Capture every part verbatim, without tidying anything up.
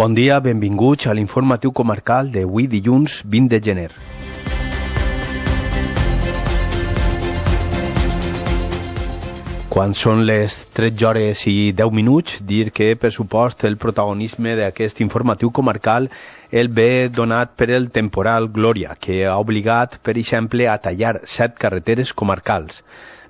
Bon dia, benvinguts a l'informatiu comarcal d'avui dilluns vint de gener. Quan són les tretze hores i deu minuts, dir que, per supost, el protagonisme d'aquest informatiu comarcal el ve donat per el temporal Glòria, que ha obligat, per exemple, a tallar set carreteres comarcals.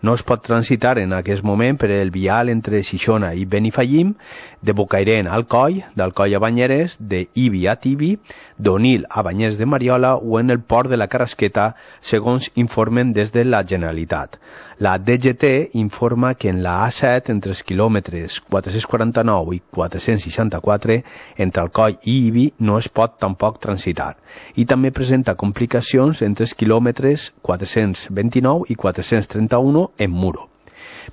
No es pot transitar en aquest moment per el vial entre Xixona i Benifallim, de Bocairent al Coll, d'Alcoi a Banyeres, de Ibi a Tibi, d'Onil a Banyers de Mariola o en el port de la Carrasqueta, segons informen des de la Generalitat. La D G T informa que en la A set, entre els quilòmetres quatre-cents quaranta-nou i quatre-cents seixanta-quatre, entre Alcoi i Ibi, no es pot tampoc transitar. I també presenta complicacions entre els quilòmetres quatre-cents vint-i-nou i quatre-cents trenta-un en Muro.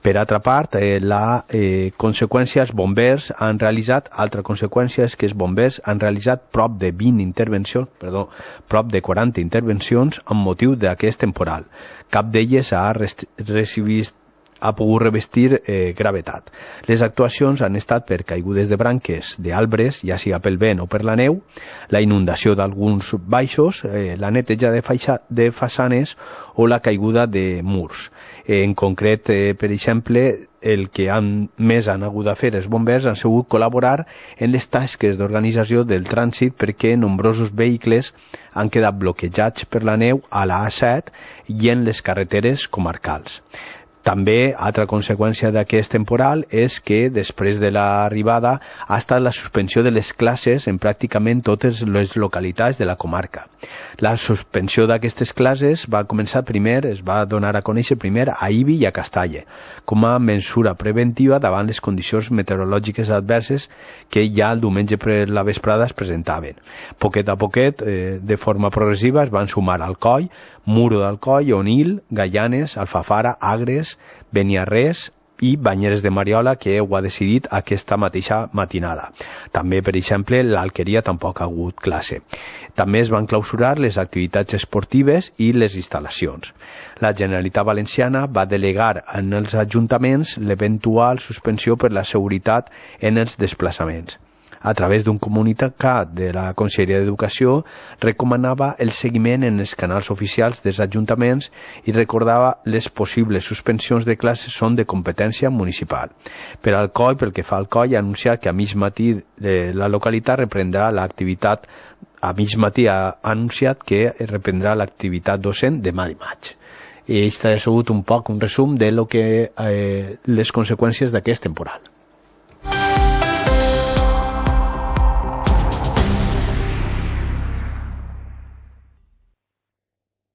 Per altra part, eh, la eh, conseqüència, els bombers han realitzat, altra conseqüència és que els bombers han realitzat prop de vint intervencions, perdó, prop de quaranta intervencions amb motiu d'aquest temporal. Cap d'elles ha recibit ha pogut revestir eh, gravetat. Les actuacions han estat per caigudes de branques d'arbres, ja sigui pel vent o per la neu, la inundació d'alguns baixos, eh, la neteja de, faixa, de façanes o la caiguda de murs. Eh, en concret, eh, per exemple, el que han, més han hagut de fer els bombers han sigut col·laborar en les tasques d'organització del trànsit perquè nombrosos vehicles han quedat bloquejats per la neu a la A set i en les carreteres comarcals. També, altra conseqüència d'aquest temporal és que després de l'arribada ha estat la suspensió de les classes en pràcticament totes les localitats de la comarca. La suspensió d'aquestes classes va començar primer, es va donar a conèixer primer a Ibi i a Castalle, com a mesura preventiva davant les condicions meteorològiques adverses que ja el diumenge per la vesprada es presentaven. Poquet a poquet, eh, de forma progressiva, es van sumar Alcoi, Muro d'Alcoi, Onil, Gaianes, Alfafara, Agres, Beniarrés i Banyeres de Mariola, que ho ha decidit aquesta mateixa matinada. També, per exemple, l'Alqueria tampoc ha hagut classe. També es van clausurar les activitats esportives i les instal·lacions. La Generalitat Valenciana va delegar en els ajuntaments l'eventual suspensió per la seguretat en els desplaçaments. A través d'un comunicat de la Conselleria d'Educació, recomanava el seguiment en els canals oficials dels ajuntaments i recordava les possibles suspensions de classes són de competència municipal. Per al Coll, pel que fa al Coll, ha anunciat que a mig matí de la localitat reprendrà l'activitat, a mig matí ha anunciat que reprendrà l'activitat docent demà dimarts. I aquest ha sigut un poc un resum de lo que, eh, les conseqüències d'aquest temporal.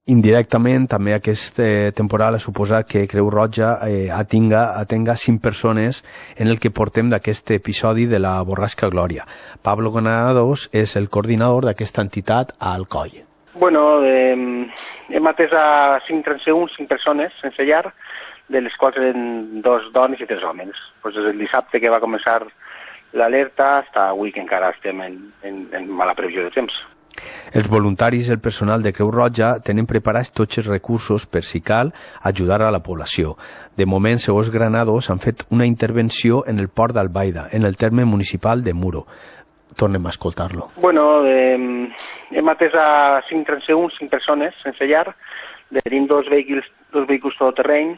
Indirectament, també aquest eh, temporal ha suposat que Creu Roja eh, atinga, atenga cinc persones en el que portem d'aquest episodi de la borrasca Glòria. Pablo Granados és el coordinador d'aquesta entitat a Alcoi. Bueno, eh, hem atès a cinc transeünts, cinc persones sense llar, de les quals eren dos dones i tres homes. Pues des del dissabte que va començar l'alerta fins avui que encara estem en, en, en mala previsió de temps. Els voluntaris i el personal de Creu Roja tenen preparats tots els recursos per, si cal, ajudar a la població. De moment, segons Granados, han fet una intervenció en el port d'Albaida, en el terme municipal de Muro. Tornem a escoltar-lo. Bueno, eh, hem atès a cinc transeünts, cinc persones sense llar, tenim dos vehicles, dos vehicles todoterreny,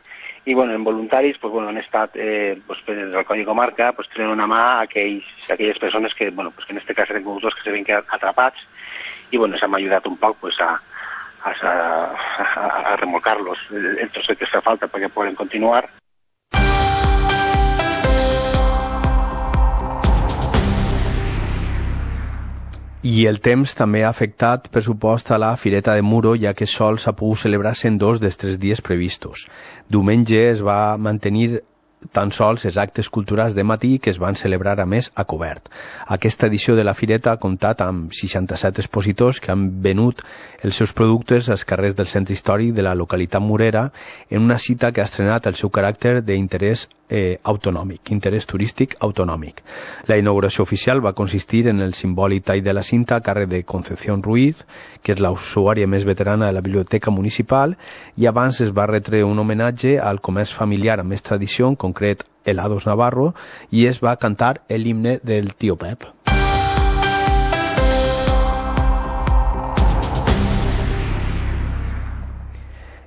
i bueno, en voluntaris pues, bueno, han estat eh, pues, des del Coll i Comarca pues, tenint una mà a aquells, a aquelles persones que, bueno, pues, que en aquest cas eren conductors que se ven atrapats i bueno, s'han ajudat un poc pues, a, a, a, a remolcar-los el trosset que fa falta perquè poden continuar. I el temps també ha afectat, per supost, a la Fireta de Muro, ja que sols ha pogut celebrar-se en dos dels tres dies previstos. Diumenge es va mantenir tan sols els actes culturals de matí que es van celebrar a més a cobert. Aquesta edició de la Fireta ha comptat amb seixanta-set expositors que han venut els seus productes als carrers del centre històric de la localitat murera en una cita que ha estrenat el seu caràcter d'interès eh, autonòmic, interès turístic autonòmic. La inauguració oficial va consistir en el simbòlic tall de la cinta a càrrec de Concepción Ruiz, que és la usuària més veterana de la biblioteca municipal, i abans es va retre un homenatge al comerç familiar amb més tradició, en concret Helados Navarro, i es va cantar l'himne del Tío Pep.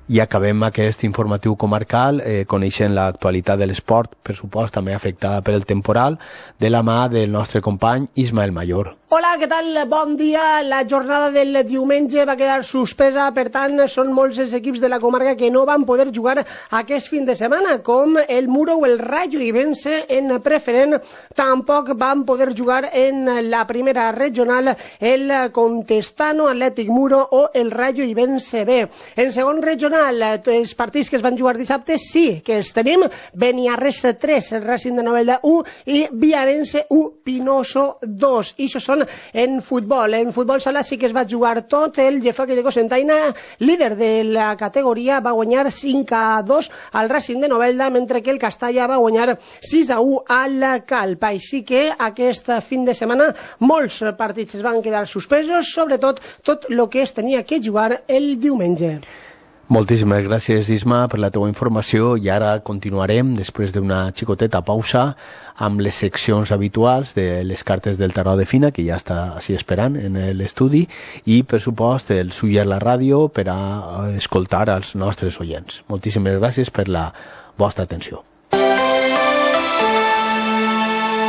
I acabem aquest informatiu comarcal eh, coneixent l'actualitat de l'esport, per supost també afectada per el temporal, de la mà del nostre company Ismael Mayor. Hola, què tal? Bon dia. La jornada del diumenge va quedar suspesa, per tant, són molts els equips de la comarca que no van poder jugar aquest fin de setmana, com el Muro o el Rayo Ibense en preferent. Tampoc van poder jugar en la primera regional el Contestano, Atlètic Muro o el Rayo Ibense B. En segon regional, els partits que es van jugar dissabte sí que els tenim. Beniarres tres, el Racing de Novelda u i Viarense u, Pinoso dos. I això són en futbol. En futbol sala sí que es va jugar tot. El Jeffery de Cocentaina, líder de la categoria, va guanyar cinc a dos al Racing de Novelda, mentre que el Castalla va guanyar sis a u al Calp. Així que aquest fin de setmana molts partits es van quedar suspesos, sobretot tot el que es tenia que jugar el diumenge. Moltíssimes gràcies, Isma, per la teva informació, i ara continuarem, després d'una xicoteta pausa, amb les seccions habituals de les cartes del tarot de Fina, que ja està així esperant en l'estudi, i, per supost, el Suyer la ràdio per a escoltar als nostres oients. Moltíssimes gràcies per la vostra atenció.